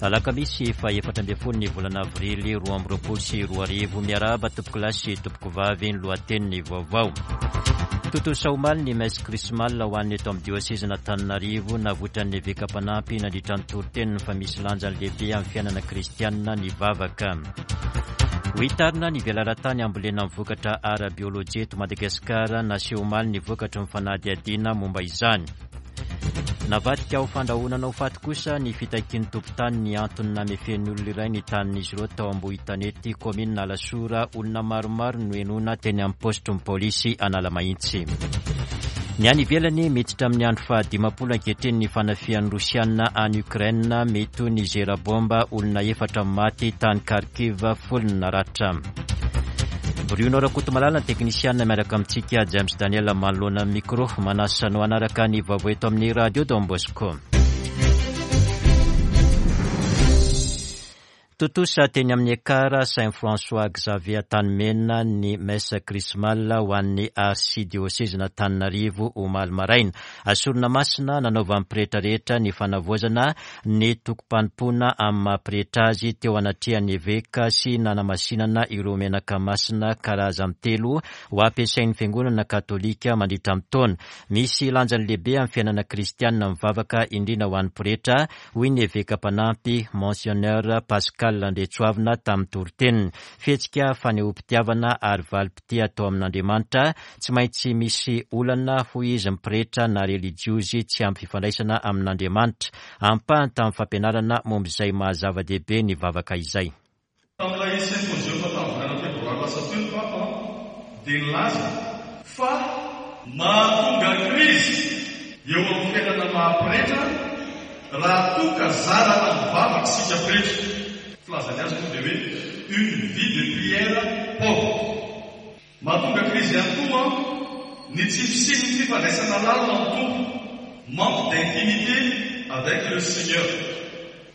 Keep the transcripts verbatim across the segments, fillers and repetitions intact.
Alakamisy faha efatra ambin'ny folo ny volana avrily roa amby roapolo sy roa arivo. Miarahaba tompokolahy sy tompokovavy, ny lohatenin'ny vaovao. Tontosa omaly ny messe chrismale ho an'ny eto amin'ny diosezin'Antananarivo. Navoitran'ny eveka mpanampy nandritra ny toriteniny fa misy lanjany lehibe amin'ny fiainana kristianina ny vavaka. Ho hitarina ny velaran-tany hambolena ny vokatra ara-biolojia eto Madagasikara. Naseho omaly ny vokatry ny fanadihadiana momba izany. Navadika ho fandrahonana ho faty kosa ny fitakian'ny tompon-tany ny antony namefen'ny olona iray ny tanin'izy ireo tao Ambohitanety, kaominina Alasora. Olona maromaro no henoina teny amin'ny paositry ny polisy Analamahitsy. Ny any ivelany, miditra amin'ny andro fahadimampolo ankehitriny ny fanafihan'ny Rosiana any Ukraine. Mety ho nizera bomba, olona efatra maty tany Kharkiv, folo ny naratra. Bruno Rakotomalala ny teknisiana miaraka amintsika, James Daniel manoloana ny micro. Manasa anao hanaraka ny vaovao eto amin'ny Radio Don Bosco. Tontosa teny amin'ny Ekar Saint François Xavier Antanimena ny messe chrismale ho an'ny arsidiosezin'Antananarivo omaly maraina. Sorona masina nanaovan'ny pretra rehetra ny fanavaozana ny tokom-panompoana amin'ny maha pretra azy teo anatrehan'ny eveka sy nanamasinana ireo menaka masina karazany telo ho ampiasain'ny fiangonana katolika mandritra ny taona. Misy lanjany lehibe amin'ny fiainana kristianina mivavaka indrindra ho an'ny pretra, hoy ny eveka mpanampy Monseigneur Pascal Andriatsoavina tamin'ny toriteniny. Fihetsika fanehoam-pitiavana ary valim-pitia atao amin'Andriamanitra, tsy maintsy misy olana, hoy izy, ny pretra na relijiozy tsy ampy fifandraisana amin'Andriamanitra. Ampahany tamin'ny fampianarana momba izay maha-zava-dehibe ny vavaka izay. Tamin'ilay symposium tamin'ny volana febroary lasa teo ny Papa dia nilaza fa mahatonga krizy eo amin'ny fiainana maha-pretra raha toa ka zarana mivavaka isika pretra. Filazany azy moa dia hoe une vie de prière pauvre. Mahatonga krizy ihany koa ny tsy fisian'ny fifandraisana lalina amin'ny Tompo, manque d'intimité avec le Seigneur.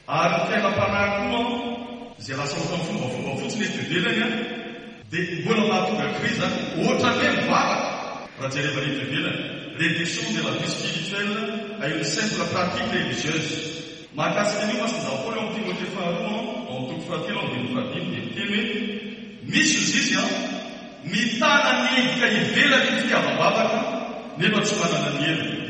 Ary ny fiainam-panahy koa izay lasa ohatran'ny fombafomba fotsiny eto ivelany dia mbola mahatonga krizy zany. Ohatran'ny hoe mivavaka raha jerevana eto ivelany, réduction de la vie spirituelle à une simple pratique religieuse. Mahakasika an'io Masindahy Paoly ao amin'ny Timothée faharoa ao amin'ny toko fahatelo andininy fahadimy dia miteny hoe misy ozy izy an mitana ny endrika ivelany ny fitiavam-bavaka nefa tsy manana ny heriny.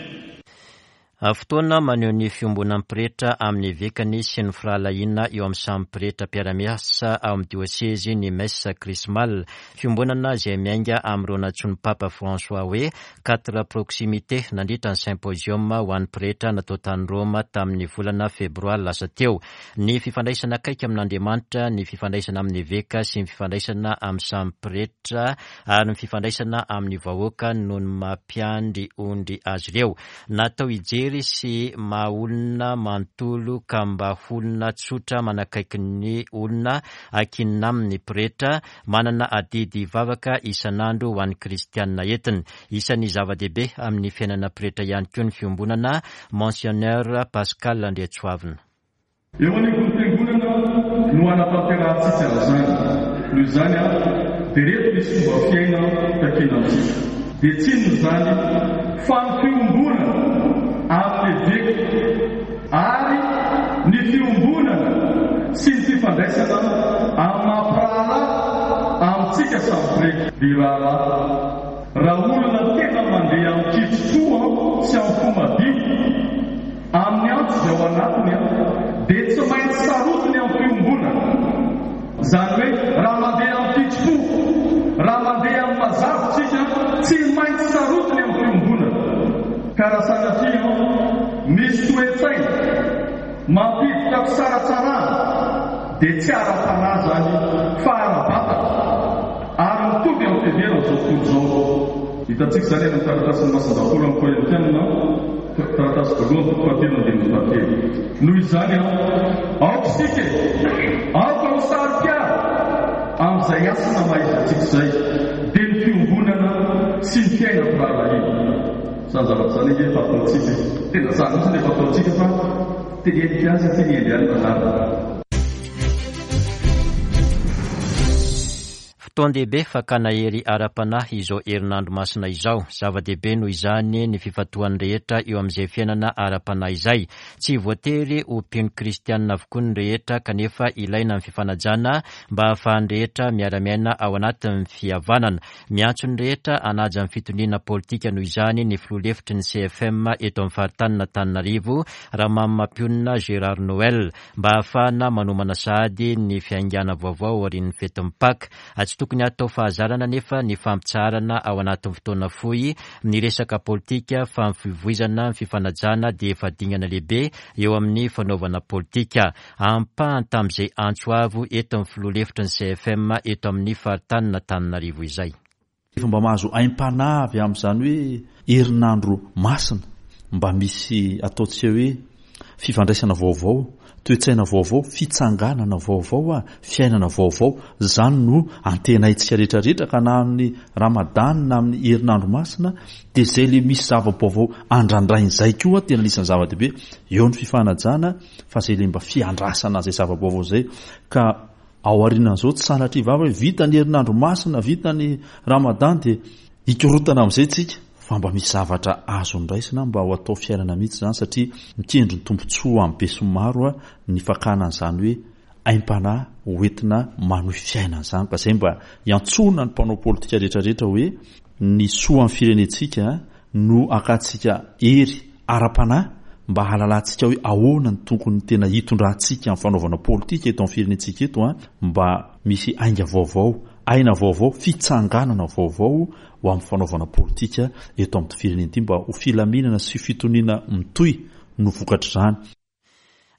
Fotoana maneho ny fiombonan'ny pretra amin'ny evekany sy ny firahalahiana eo amin'ny samy pretra mpiara-miasa ao amin'ny diosezy ny messe chrismale. Fiombonana izay miainga amin'ireo nantsoin'ny Papa François hoe quatre proximité nandritra ny symposium ho an'ny pretra natao tany Roma tamin'ny volana febroary lasa teo. Ny fifandraisana akaiky amin'Andriamanitra, ny fifandraisana amin'ny eveka sy ny fifandraisana amin'ny samy pretra ary ny fifandraisana amin'ny vahoaka noho ny mampiandry ondry azy ireo. Natao hijery sy maha olona manontolo ka mba olona tsotra manakaiky ny olona ankinina amin'ny pretra, manana adidy vavaka isan'andro ho an'ny kristianina entiny. Isan'ny zava-dehibe amin'ny fiainana pretra ihany koa ny fiombonana, Monseigneur Pascal Andriatsoavina. Eo anivon'ny fiangonana no anatanterahantsika an'izany. Noho izany dia reto misy fomba fiaina takiana amintsika. Dia tsy inona izany fa ny fiombonana amin'ny eveka ary ny fiombonana sy ny fifandraisana amin'ny maha-mpiraharaha amintsika samy pretra. Ry raharaha, raha olona tena mandeha amin'ny kitsim-po sy amin'ny fo madio amin'ny antso izay ao anatiny dia tsy maintsy sarotiny amin'ny fiombonana. Izany hoe raha mandeha amin'ny kitsim-po, raha mandeha amin'ny mazava isika, tsy maintsy sarotiny amin'ny fiombonana. Ka raha sanatria misy toe-tsaina mampiditra fisaratsarahana dia tsy ara-panahy izany fa ara-batana ary mitovy amin'ny fiheveran'izao tontolo izao. Hitantsika izany any amin'ny taratasin'ny Masindahy Paoly amin'ny Korintiana, taratasy voalohany toko fahatelo andininy fahatelo. Noho izany aoka isika e, aoka ho saro-piaro amin'izay hasina maha-izy antsika izay, dia ny fiombonana sy ny fiainam-pirahalahiana. Izany zavatra izany ange efa ataontsika e. Tena izany mihitsy no efa ataontsika fa teneniko ihany satria ny hendry ihany no anarina. Fotoan-dehibe fakana hery ara-panahy izao herinandro masina izao. Zava-dehibe noho izany ny fifantohan'ny rehetra eo amin'izay fiainana ara-panahy izay. Tsy voatery ho mpino kristianina avokoa ny rehetra, kanefa ilaina ny fifanajana mba hahafahan'ny rehetra miara-miaina ao anatin'ny fihavanana. Miantso ny rehetra hanaja ny fitoniana politika noho izany ny filoha lefitry ny C F M eto amin'ny faritanin'Antananarivo, Ramamimampionona Gérard Noël, mba hahafahana manomana sahady ny fiaingàna vaovao aorian'ny fetin'ny Paka. Tsy tokony hatao fahazarana nefa ny fampitsaharana ao anatin'ny fotoana fohy ny resaka politika, fa ny fivoizana ny fifanajana dia efa dingana lehibe eo amin'ny fanaovana politika. Ampahany tamin'izay antso avo eto amin'ny filoha lefitry ny C F M eto amin'ny faritanin'Antananarivo izay. Efa mba mahazo aim-panahy avy amin'izany hoe herinandro masina, mba misy ataontsika hoe fifandraisana vaovao, toe-tsaina vaovao, fitsanganana vaovao, a, fiainana vaovao. Izany no antenaintsika rehetrarehetra, ka na amin'ny Ramadan na amin'ny herinandro masina dia izay le misy zava-baovao andrandrain'izay koa tena anisan'ny zava-dehibe. Eo ny fifanajana, fa izay le mba fiandrasana izay zava-baovao izay. Ka ao aorianan'izao tsy sanatria vava hoe vita ny herinandro masina, vita ny Ramadan dia hikorotana amin'izay tsika, fa mba misy zavatra azo niraisina mba ho atao fiainana mihitsy izany, satria mikendry ny tombontsoa amin'ny besinimaro a, ny fakana an'izany hoe aim-panahy hoentina manohy fiainana izany. Ka izay mba hiantsoana ny mpanao politika rehetrarehetra hoe ny soa amin'ny firenentsika no akantsika hery ara-panahy mba hahalalantsika hoe ahoana ny tokony tena hitondrantsika amin'ny fanaovana politika eto amin'ny firenentsika eto a, mba misy ainga vaovao, aina vaovao, fitsanganana vaovao ho amin'ny fanaovana politika eto amin'ny firenena ity, mba ho filaminana sy fitoniana mitohy no vokatr'izany.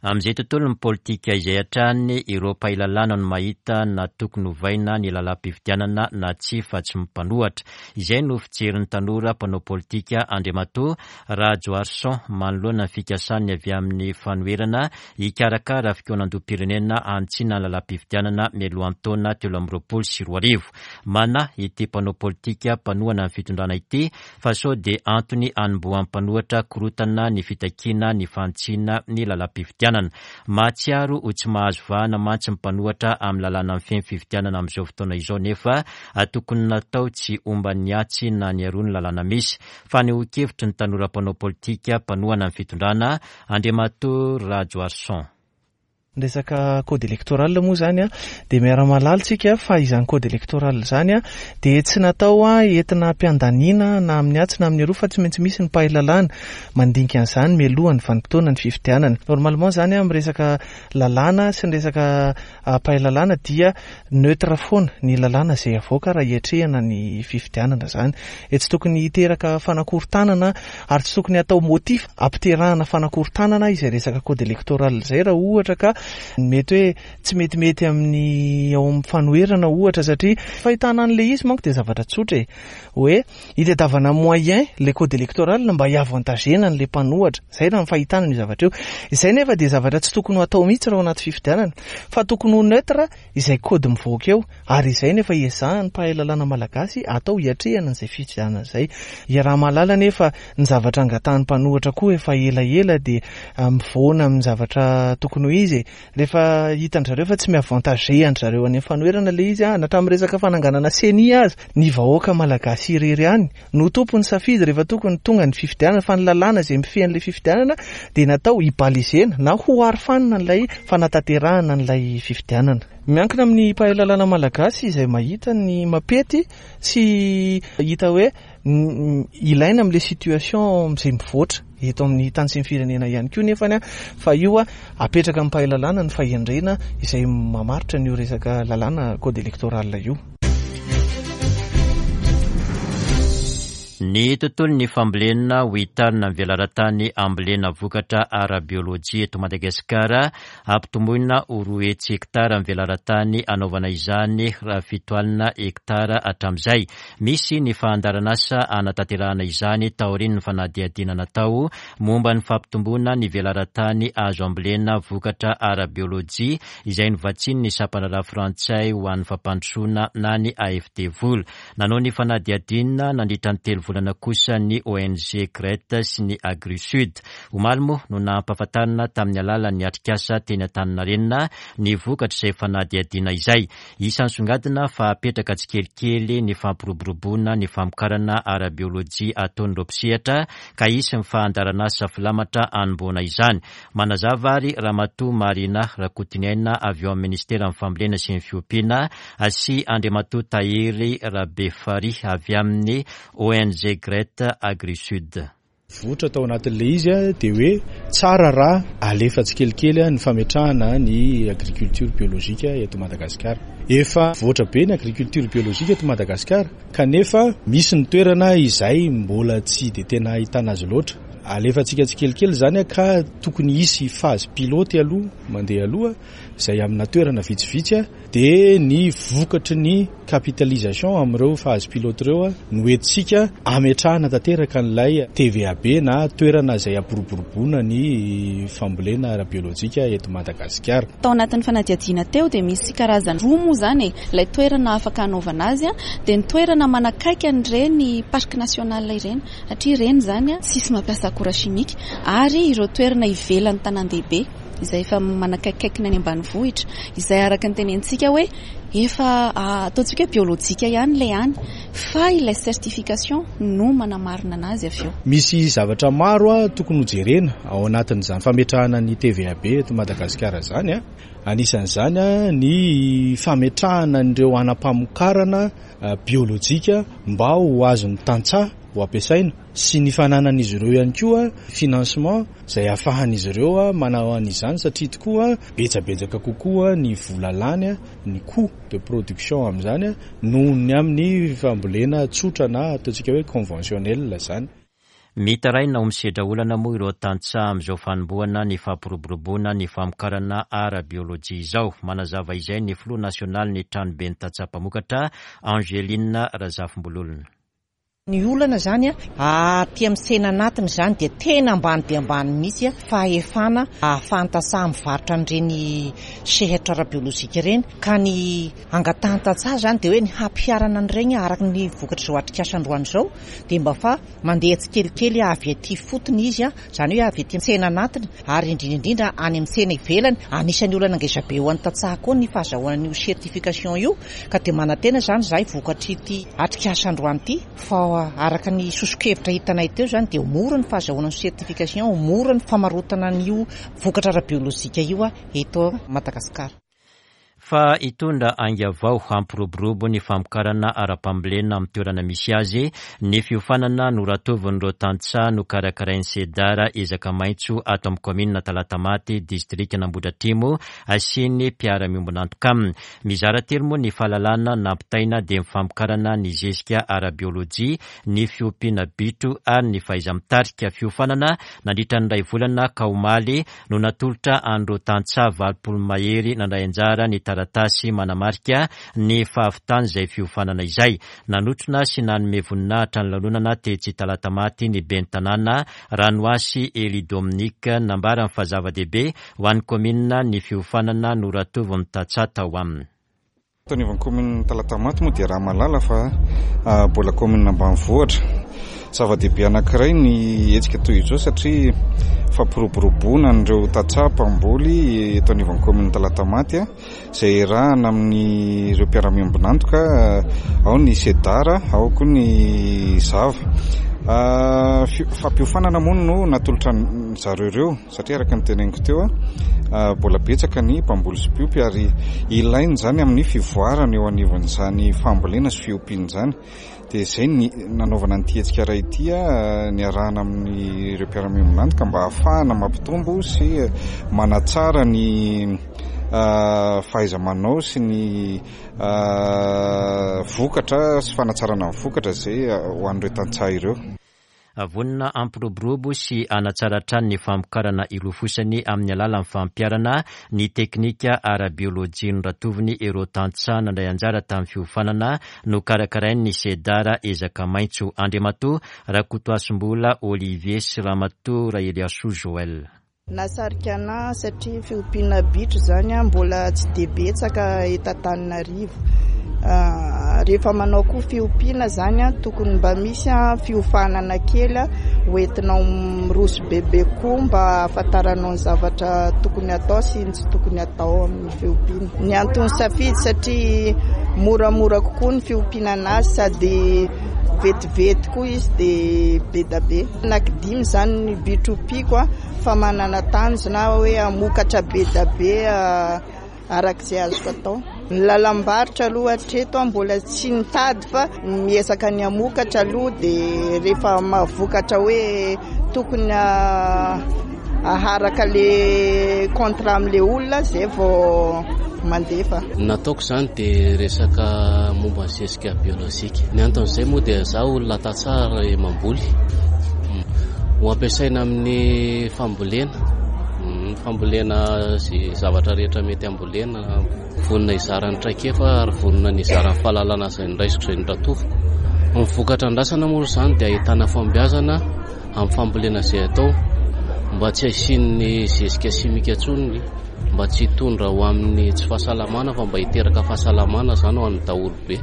Amin'izay tontolon'ny politika izay hatrany, ireo mpahay lalàna no mahita na tokony hovaina ny lalàm-pifidianana na tsia, fa tsy mpanohatra. Izay no fijerin'ny tanora mpanao politika Andriamatoa Rajoarison manoloana ny fikasany avy amin'ny fanoherana hikarakara fikaonandoham-pirenena hanitsiana ny lalàm-pifidianana mialohan'ny taona telo amby roapolo sy roa arivo. Manahy ity mpanao politika mpanohana ny fitondrana ity fa sao dia antony hanombohan'ny mpanohatra korotana ny fitakiana ny fanitsiana ny lalàm-pifidianana. Mahatsiaro ho tsy mahazo vahana mantsy ny mpanohatra amin'ny lalàna mifehy ny fifidianana amin'izao fotoana izao, nefa tokony natao tsy homban'ny atsy na ny aroa ny lalàna misy. Fanehoan-kevitry ny tanora mpanao politika mpanohana ny fitondrana Andriamatoa Rajoarison. Ny resaka code électoral moa zany a, dia miara-mahalala tsika fa izany code électoral zany a, dia tsy natao a entina ampiandaniana na amin'ny atsy na amin'ny aroa, fa tsy maintsy misy ny mpahay lalàna mandinika an'izany mialohan'ny vanim-potoana ny fifidianana. Normalement zany a, amin'ny resaka lalàna sy ny resaka mpahay lalàna dia neutre foana ny lalàna izay avoaka raha hiatrehana ny fifidianana zany. E tsy tokony hiteraka fanakorontanana ary tsy tokony hatao motif ampiterahana fanakorontanana izay resaka code électoral izay, raha ohatra ka mety hoe tsy metimety amin'ny ao amin'ny fanoherana ohatra, satria fahitana an'ilay izy manko dia zavatra tsotra e, hoe hitadiavana moyen le code électoral mba hiavantagena an'ilay mpanohatra. Izay raha ny fahitana ny zavatra io. Izay nefa dia zavatra tsy tokony ho atao mihitsy raha ao anaty fifidianana, fa tokony ho neutre izay code mivoaka eo, ary izay nefa iezahan'ny mpahay lalàna malagasy atao hiatrehana an'izay fifidianana izay. Iaraha-mahalala nefa ny zavatra angatahan'ny mpanohatra koa efa elaela dia mivoana amin'ny zavatra tokony ho izy e. Rehefa hitan-dry zareo fa tsy miavantage an-dry zareo any amin'ny fanoherana ilay izy, na hatramin'ny resaka fananganana CENI aza, ny vahoaka malagasy irery ihany no tompon'ny safidy rehefa tokony tonga ny fifidianana, fa ny lalàna izay mifehy an'ilay fifidianana dia natao hibalizena na ho arofanina an'ilay fanatanterahana an'ilay fifidianana. Miankina amin'ny mpahay lalàna malagasy izay mahita ny mampety sy hita hoe ilaina amin'ilay situation izay mivoatra eto amin'ny tany sy ny firenena ihany koa nefany a, fa io a apetraka amin'ny mpahay lalàna ny fahendrena izay mamaritra an'io resaka lalàna code électoral io. Ny tontolon'ny fambolena ho hitarina ny velaran-tany ambolena vokatra ara-biôlôjia eto Madagasikara, ampitomboina ho roa hetsy hektara ny velaran-tany anaovana izany raha fito alina hektara hatramin'izay. Misy ny fandaharanasa hanatanterahana izany taorian'ny fanadihadiana natao momba ny fampitomboana ny velaran-tany azo ambolena vokatra ara-biôlôjia izay novatsian'ny sampandraharaha frantsay ho an'ny fampandrosoana na ny A F D vola. Nanao ny fanadihadiana nandritra ny telo volana kosa ny O N G GRET sy ny AgriSud. Omaly moa no nampahafantarina tamin'ny alalan'ny atrikasa teny Antaninarenina ny vokatra izay fanadihadiana izay. Isan'ny songadina fa apetraka tsikelikely ny fampiroboroboana ny famokarana ara-biolojia ataon'ireo mpisehatra, ka hisy ny fandaharanasa filamatra anomboana izany. Manazava ary Ramatoa Marina Rakotoniaina avy eo amin'ny ministeran'ny Fambolena sy ny Fiompiana sy Andriamatoa Tahiry Rabefari avy amin'ny O N G GRET AgriSud. Votra tao anatin'le izy a dia hoe tsara raha alefa tsikelikely ny fametrahana ny agriculture biologique eto Madagasikara. Efa voatra be ny agriculture biologique eto Madagasikara, kanefa misy ny toerana izay mbola tsy de tena ahitana azy loatra. Alefantsika tsikelikely zany a ka tokony hisy phase pilote aloha mandeha aloha izay amina toerana vitsivitsy a dia ny vokatry ny capitalisation amin'ireo phase pilote ireo a no entintsika ametrahana tanteraka n'ilay T V A B na toerana izay ampiroboroboana ny fambolena ara-biolojika eto Madagasikara. Tao anatin'ny fanadihadiana teo dia misy karazany roa moa zany e, ilay toerana afaka anaovana azy a dia ny toerana manakaiky an'ireny parc national ireny, satria ireny zany a tsisy mampiasa akora chimique, ary ireo toerana ivelan'ny tanàn-dehibe izay efa manakaikikaiky ny any ambanivohitra, izay araka ny tenentsika hoe efa ataontsika hoe biolojika ihany ilay any, fa ilay certification no manamarina anazy avy eo. Misy zavatra maro a tokony hojerena ao anatin'izany fametrahana ny T V A B eto Madagasikara zany a anisan'izany a ny fametrahana an'ireo anam-pamokarana biolojika mba ho azon'ny tantsaha ho ampiasaina, sy ny fananan'izy ireo ihany koa financement izay ahafahan'izy ireo a manao an'izany, satria tokoa betsabetsaka kokoa ny vola lany a ny coût de production amin'izany a noho ny amin'ny fambolena tsotra na ataontsika hoe conventionnel zany. Mitaraina ho misedra olana moa ireo tantsaha amin'izao fanombohana ny fampiroboroboana ny famokarana ara-biolojia izao. Manazava izay ny filoha nasionaly ny Tranoben'ny Tantsaha Mpamokatra, Angeline Razafimbololona. Ny olana zany a aty amin'ny tsena anatiny zany dia tena ambany dia ambany mihitsy a fahefana ahafahan'ny tantsaha mivarotra an'ireny sehatra ara-biolojika ireny, ka ny angatahan'ny tantsaha zany dia hoe ny hampiharana an'ireny araka ny vokatra izao atrikasa androany izao dia mba fa mandeha tsikelikely avy aty fotony izy a zany hoe avy aty tsena anatiny, ary indrindra indrindra any amin'ny tsena ivelany. Anisan'ny olana ngezabe ho an'ny tantsaha koa ny fahazahoana an'io certification io, ka dia manantena zany zahay vokatry ity atrikasa androany ity fa araka ny soso-kevitra hitanay teo zany dia mora ny fahazahoana ny certification, mora ny famarotana an'io vokatra ara-biolojika io a eto Madagasikara. Fa hitondra ainga vao hampiroborobo ny famokarana ara-pambolena amin'ny toerana misy azy ny fiofanana noratovin'ireo tantsaha no karakarain'ny Sedara Ezaka Maitso ato amin'ny kaominina Talatamaty, distrika Nambodratrimo, sy ny mpiara-miombon'antoka aminy. Mizara telo moa ny fahalalana nampitaina, dia ny famokarana ny zezika ara-biolojia, ny fiompiana bitro ary ny fahaiza-mitarika. Fiofanana nandritra ny ray volana, ka omaly no natolotra an'ireo tantsaha valopolo mahery nandray anjara ny taratasy manamarika ny fahavitany izay fiofanana izay. Nanotrona sy nanome voninahitra ny lanonana tetsy Talatamaty ny ben'ny tanàna, Ranoasy Eli Dominique. Nambarany fa zava-dehibe ho an'ny kaominina ny fiofanana noratovin'ny tantsaha tao aminy. Tao anivon'ny kaominina Talatamaty moa dia raha malala fa mbola kaominina ambanivohitra. Zava-dehibe anankiray ny hetsika toy izao satria fampiroboroboana an'ireo tantsaha mpamboly eto anivon'ny kaominina Talatamaty a izay iarahana amin'ireo mpiara-miombon'antoka, ao ny Sedara, ao koa ny Zava. Fampiofanana moa no natolotra zareo ireo, satria araka ny teneniko teo a mbola betsaka ny mpamboly sy mpiompy ary ilainy zany amin'ny fivoarana eo anivon'izany fambolena sy fiompiana izany. Dia izay ny nanaovana nyity hetsika iray ity a niarahana amin'ireo mpiara-miombon'antoka mba ahafahana mampitombo sy manatsara ny fahaiza-manao sy ny vokatra sy fanatsarana ny vokatra izay ho an'ireo tantsaha ireo. Vonona hampiroborobo sy hanatsara hatrany ny famokarana ilofosany amin'ny alalan'ny fampiharana ny teknika ara-biolojia noratoviny ireo tantsaha nandray anjara tamin'ny fiofanana no karakarain'ny Sedara Ezaka Maitso, Andriamatoa Rakotoasimbola Olivier sy Ramatoa Raheliasoa Joel. Nasarika ana satria fiompiana bitro zany a mbola tsy de betsaka eto Antananarivo. Rehefa manao koa fiompiana zany a, tokony mba misy a fiofanana kely hoentinao miroso bebe koa mba ahafantaranao ny zavatra tokony atao sy ny tsy tokony atao amin'ny fiompiana. Ny antony safidy satria moramora kokoa ny fiompiana anazy sady vetivety koa izy dia be da be. Anankidimy zany ny bitro ompiako a, fa manana tanjona hoe hamokatra be da be arak'izay azoko atao. Ny lalam-barotra aloha hatreto mbola tsy nitady fa miezaka ny hamokatra aloha, dia rehefa mahavokatra hoe tokony aharaka le contrat amin'le olona zay vao mandefa. Nataoko izany dia resaka momba ny zezika biolojika. Ny anton'izay moa dia zaho olona tantsaha mamboly, ho ampiasaina amin'ny fambolena, fambolena izay zavatra rehetra mety ambolena. Vonona hizara ny traikefa ary vonona ny hizara ny fahalalana izay noraisiko izay noratoviko. Ny vokatra andrasana moa izany dia ahitana fahombiazana amin'ny fambolena izay atao, mba tsy hasian'ny zezika simika intsony, mba tsy hitondra ho amin'ny tsy fahasalamana fa mba hiteraka fahasalamana izany ho an'ny daholobe.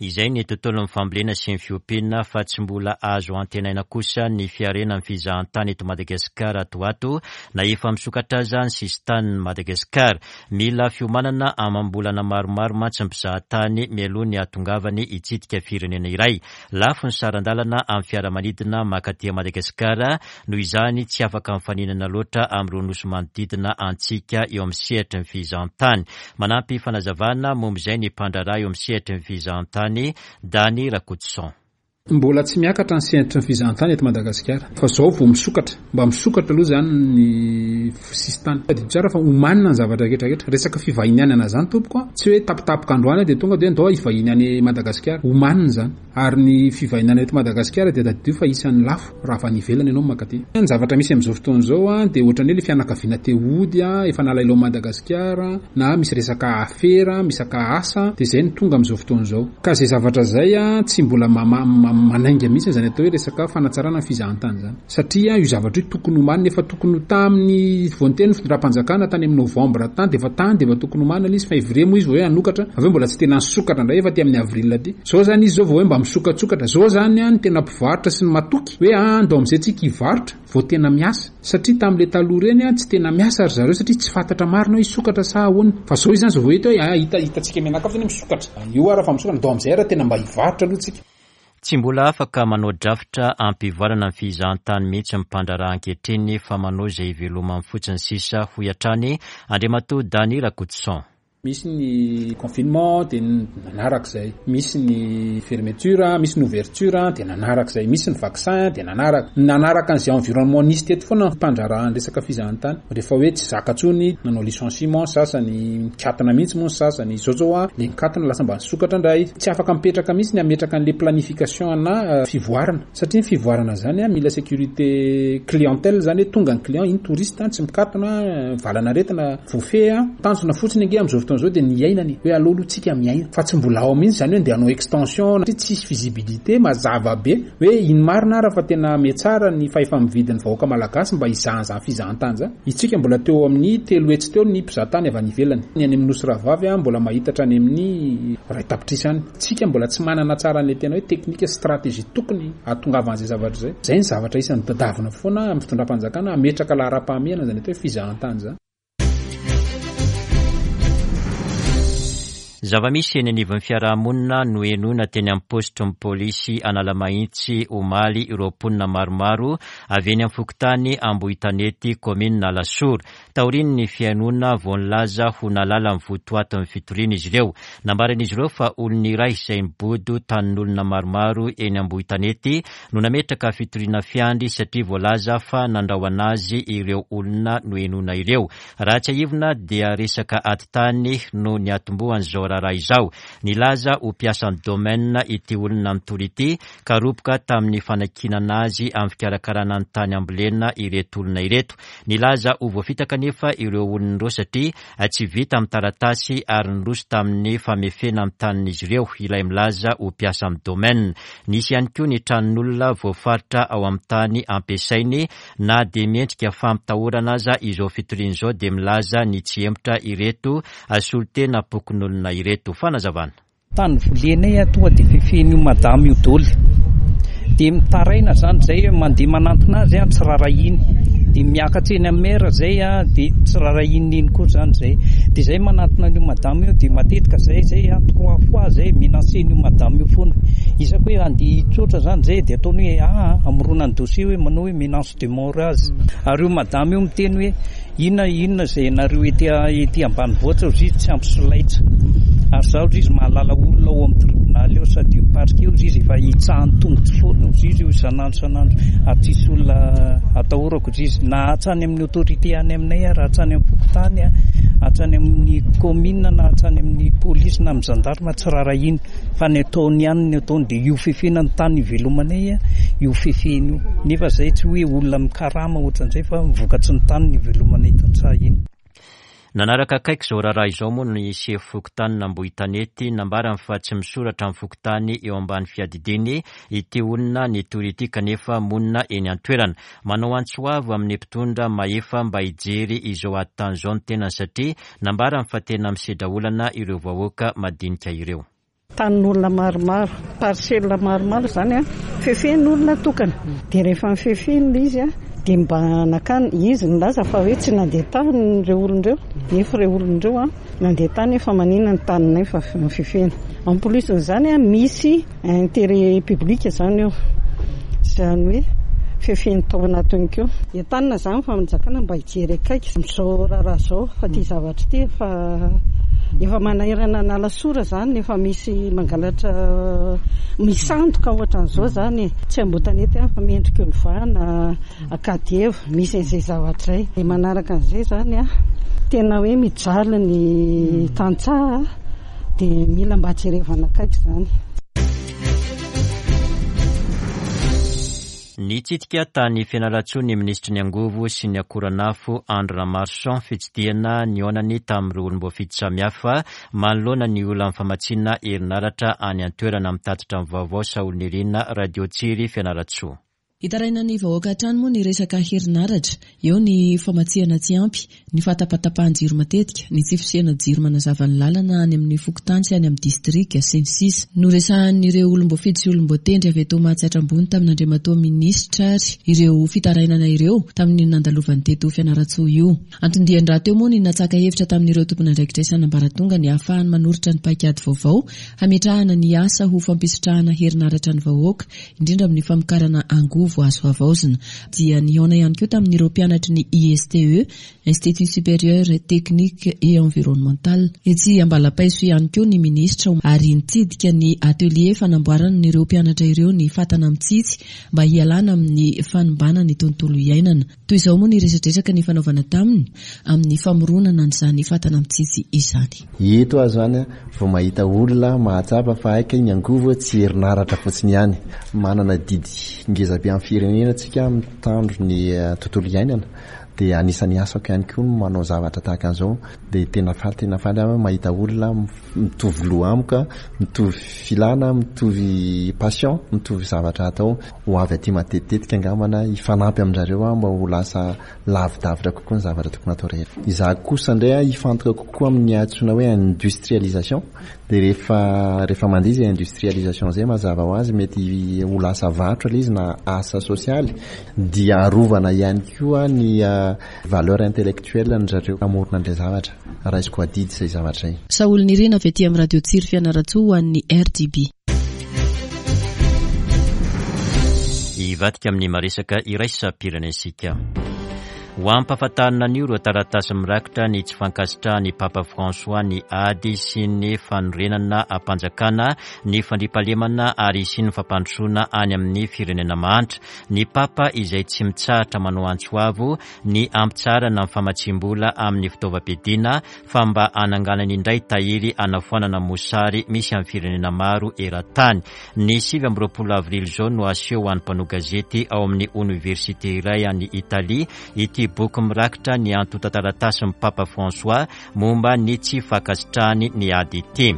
Izay ny tontolon'ny fambolena sy ny fiompiana, fa tsy mbola azo antenaina kosa ny fiharena amin'ny fizahantany eto Madagasikara ato ato na efa misokatra aza ny sisin-tanin'i Madagasikara. Mila fiomanana amam-bolana maromaro mantsy ny mpizahatany mialoha ny hahatongavany hitsidika firenena iray. Lafo ny saran-dalana amin'ny fiaramanidina mankaty Madagasikara, noho izany tsy afaka mifaninana loatra amin'ireo nosy manodidina antsika eo amin'ny sehatry ny fizahantany. Manampy fanazavana momba izay ny mpandraharaha eo amin'ny sehatry ny fizahantany Dany Rakotoson. Mbola tsy miakatra ny sehatry ny fizahantany eto Madagasikara, fa zao vao misokatra. Mba misokatra aloha zany ny sisintany. Tadidio tsara fa omanina ny zavatra rehetra rehetra. Resaka fivahinianana zany tompoko a, tsy hoe tapitapika androany dia tonga dia ndao hivahiny any Madagasikara. Omanina zany. Ary ny fivahinianana eto Madagasikara dia tadidio fa isan'ny lafo raha avy any ivelany ianao mankaty. Ny zavatra misy amin'izao fotoana izao a, dia ohatran'ny hoe le fianakaviana te hody a, efa nalailao Madagasikara, na misy resaka afera, misaka asa, dia izay no tonga amin'izao fotoana izao. Ka izay zavatra izay a, tsy mbola mama-, manainga mihitsy zany atao hoe resaka fanatsarana ny fizahantany zany. Satria io zavatra io tokony homanina, efa tokony ho tamin'ny voanteny fitondram-panjakana tany amin'ny novambra tany, dia efa tany dia efa tokony homanina ilay izy, fa février moa izy vao hoe hanokatra, avy eo mbola tsy tena nisokatra indray efa aty amin'ny avril aty. Zao zany izy zao vao hoe mba misokatsokatra. Zao zany a, ny tena mpivarotra sy ny matoky hoe andao amin'izay tsika hivarotra vao tena miasa. Satria tamin'ilay taloha ireny a, tsy tena miasa ry zareo satria tsy fantatra marina hoe hisokatra sa ahoana. Fa zao izy zany zao vao hita hoe, ah, hita, hitantsika mianakavy zany hoe misokatra. Io ara fa misokatra, ndao amin'izay ara tena mba hivarotra aloha tsika. Tsy mbola afaka manao drafitra ampivoarana ny fizahantany mihitsy ny mpandraharaha ankehitriny fa manao izay ivelomany fotsiny sisa, hoy hatrany Andriamatoa Dany Rakotoson. Misy ny confinement dia nanaraka izay, misy ny fermeture, misy ny ouverture dia nanaraka izay, misy ny vaccin dia nanaraka. Nanaraka an'izay environnement nisy teto foana ny mpandraharaha ny resaka fizahantany. Rehefa hoe tsy zaka intsony, nanao licenciement sasany, nikatona mihitsy moa ny sasany. Izao zao a, le nikatona lasa mba nisokatra indray. Tsy afaka mipetraka mihitsy ny hametraka an'le planification na fivoarana. Satria ny fivoarana zany a, mila sécurité clientèle zany hoe tonga ny client, iny touriste tsy mikatona, valanaretina voafehy a. Tanjona fotsiny ange amin'izao fotoana izao dia ny iainany hoe aleo aloha tsika miaina, fa tsy mbola ao mihitsy zany hoe ndeha hanao extension, satria tsisy visibilité mazava be hoe ino marina ara fa tena metsara ny fahefa-mividin'ny vahoaka malagasy mba hizahan'izany fizahantany zany. Itsika mbola teo amin'ny telo hetsy teo ny mpizahatany avy any ivelany. Ny any amin'ny Nosy Rahavavy a, mbola mahita hatrany amin'ny iray tapitrisa any. Tsika mbola tsy manana tsara an'ilay tena hoe teknika sy stratégie tokony hahatongavan'izay zavatra izay. Izay ny zavatra isan'ny tadavina foana amin'ny fitondram-panjakana hametraka laharam-pahamehana zany atao hoe fizahantany zany. Zava-misy eny anivon'ny fiarahamonina no henoina teny amin'ny paositry ny polisy Analamahitsy omaly ireo mponina maromaro avy eny amin'ny fokontany Ambohitanety, kaominina Alasora. Taorian'ny fihainoana vao nilaza ho nahalala ny votoatin'ny fitoriana izy ireo. Nambaran'izy ireo fa olona iray izay nibodo tanin'olona maromaro eny Ambohitanety no nametraka fitoriana fiandry satria voalaza fa nandrahona azy ireo olona nohenoina ireo. Raha tsiahivina dia resaka ady tany no niatombohan'izao raharaha izao. Nilaza ho mpiasan'ny domaine ity olona nitory ity ka roboka tamin'ny fanakinana azy amin'ny fikarakarana ny tany ambolena ireto olona ireto. Nilaza ho voafitaka nefa ireo olona ireo satria tsy vita amin'ny taratasy ary niroso tamin'ny famefena ny tanin'izy ireo ilay milaza ho mpiasan'ny domaine. Nisy ihany koa ny tranon'olona voafaritra ao amin'ny tany ampiasainy. Na dia miendrika fampitahorana aza izao fitoriana izao dia milaza ny tsy hemotra ireto solontenam-pokonolona ireto. Fanazavana. Tany volenay tonga dia fefen'io madame io daholo. Dia mitaraina izany izay mandeha manantona azy tsy rarahiny. Dia miakatra eny amin'ny maire izay dia tsy rarahiny iny koa izany izay. Dia izay manantona an'io madame io dia matetika izay izay trois fois izay menacé-n'io madame io foana. Isaka hoe andeha hitsotra izany izay dia ataony hoe ah amoronany dossier hoe manao hoe menace de mort azy. Ary io madame io miteny hoe inona inona izay nareo ety ety ambanivohitra hozy izy tsy ampy solaitra. Ary zaho hozy izy mahalala olona ao amin'ny tribonaly eo sady io parquet hozy izy efa hitsahan'ny tongotro foana hozy izy io isan'andro isan'andro ary tsisy olona atahorako hozy izy na hatrany amin'ny autorité any aminay ary hatrany amin'ny fokontany hatrany amin'ny commune na hatrany amin'ny polisy na amin'ny gendarme tsy rarahiny fa ny ataony ihany ny ataony dia io fefena ny tany ivelomanay io fefena io nefa zay tsy hoe olona mikarama ohatran'izay fa vokatry ny tany ny ivelomanay tantsaha iny. Nanaraka akaiky izao raharaha izao moa ny sefo fokontany Ambohitanety nambarany fa tsy misoratra amin'ny fokontany eo ambany fiadidiany ity olona nitory ity kanefa monina eny an-toerana. Manao antso avo amin'ny mpitondra mahefa mba hijery izao ady tany izao ny tenany satria nambarany fa tena misedra olana ireo vahoaka madinika ireo. Tanin'olona maromaro, parcelle maromaro izany a, fefen'olona tokana. Dia rehefa mifefeny ilay izy a, dia mba nakany izy nilaza fa hoe tsy nandeha tany ireo olona ireo, nefa ireo olona ireo a nandeha tany efa manina ny taninay fa mifefena. En plus izany a misy intérêt public izany eo. Izany hoe fefeny tao anatiny koa. Entanina izany fa fanjakana mba hijery akaiky amin'izao raharaha izao fa ity zavatra ity efa efa manahirana an'Alasora izany efa misy mangalatra misandoka ohatran'izao izany. Tsy Ambohitanety ihany fa mendrika Olivana, Ankadieva, misy an'izay zavatra izay. Dia manaraka an'izay izany a, tena hoe mijaly ny tantsaha dia mila mba jerevana akaiky izany. Nitsidika tany Fianarantsoa ny minisitry ny angovo sy ny akoranafo Andry Ramarson fitsidihana nihaonany tamin'ireo olom-boafidy samihafa manoloana ny olan'ny famatsiana herinaratra any an-toerana. Mitatitra ny vaovao Saolinirina, Radio Tsiry, Fianarantsoa. Hitaraina ny vahoaka hatrany moa ny resaka herinaratra. Eo ny famatsiana tsy ampy, ny fahatapatapahan-jiro matetika, ny tsy fisiana jiro manazava ny lalana any amin'ny fokontany sy any amin'ny distrika sy ny sisa. Noresahan'ireo olom-boafidy sy olom-boatendry avy eto Mahatsiatra Ambony tamin'Andriamatoa Minisitra ary ireo fitarainana ireo tamin'ny nandalovany teto Fianarantsoa io. Anton-dian-drahateo moa ny natsaka hevitra tamin'ireo tompon'andraikitra isan'ambaratonga ny ahafahany manoritra ny paikady vaovao hametrahana ny asa ho fampisitrahana herinaratra ny vahoaka, indrindra amin'ny famokarana angovo azo havaozina. Dia nihaona ihany koa tamin'ireo mpianatry ny I S T E, Institut Supérieur Technique et Environnemental. Etsy Ambalapaiso ihany koa ny minisitra ary nitsidika ny atelier fanamboaran'ireo mpianatra ireo ny fatana mitsitsy mba hialana amin'ny fanimbana ny tontolo iainana. Toy izao moa ny resadresaka ny fanaovana taminy amin'ny famoronana an'izany fatana mitsitsy izany. Eto aho izany vao mahita olona mahatsapa fa haika ny angovo tsy herinaratra fotsiny ihany. Manana didy ngeza be amin'ny firenena tsika mitandro ny tontolo iainana. Dia anisan'ny asako ihany koa ny manao zavatra tahaka an'izao. Dia tena faly, tena faly aho mahita olona mitovy loha amiko, mitovy filana, mitovy passion, mitovy zavatra atao. Ho avy aty matetitetika angambana hifanampy amin-drareo aho mba ho lasa lavidavitra kokoa ny zavatra tokony atao rehetra. Izaho kosa indray aho hifantoka kokoa amin'ny antsoina hoe industrialisation. Dia rehefa, rehefa mandeha izay industrialisation izay mazava ho azy mety ho lasa varotra ilay izy na asa sosialy. Dia arovana ihany koa ny valeur intellectuelle ny zareo hamorona an'ilay zavatra. Raisiko adidy izay zavatra izay. Saolinirina avy aty amin'ny Radio Tsiry Fianarantsoa ho an'ny R D B. Hivadika amin'ny maresaka iraisam-pirenentsika. Ho ampahafantarina an'io ireo taratasy mirakitra ny tsy fankasitrahan'ny Papa François ny ady sy ny fanorenana ampanjakana, ny fandriampahalemana ary sy ny fampandrosoana any amin'ny firenena mahantra. Ny Papa izay tsy mitsahatra manao antso avo ny ampitsarana ny famatsiam-bola amin'ny fitaovam-piadiana fa mba hananganany indray tahiry hanafoanana mosary misy amin'ny firenena maro eran-tany. Ny sivy amby roapolo avrily izao no aseho ho an'ny mpanao gazety ao amin'ny oniversite iray any Italia ity boky mirakitra ny antontan-taratasin'ny Papa François momba ny tsy fankasitrahany ny ady ity.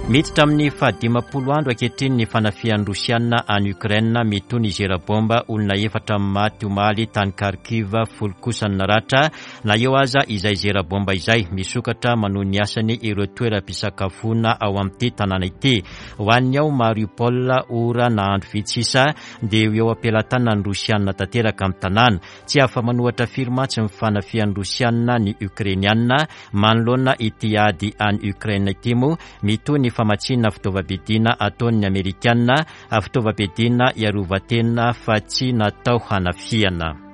Miditra amin'ny fahadimampolo andro ankehitriny ny fanafihan'ny Rosiana any Ukraine. Mitohy ny zera bomba, olona efatra maty omaly tany Kharkiv, folo kosa ny naratra. Na eo aza izay zera bomba izay, misokatra manohy ny asany ireo toeram-pisakafoana ao amin'ity tanàna ity. Ho an'ny ao Mariupol, ora na andro vitsy sisa dia eo am-pelatanan'ny Rosiana tanteraka amin'ny tanàna. Tsy afa-manohatra firy mantsy ny fanafihan'ny Rosiana ny Ukrainiana. Manoloana ity ady any Ukraine ity moa, mitohy ny famatsiana fitaovam-piadiana ataon'ny Amerikana, fitaovam-piadiana hiarovan-tena fa tsy natao hanafihana.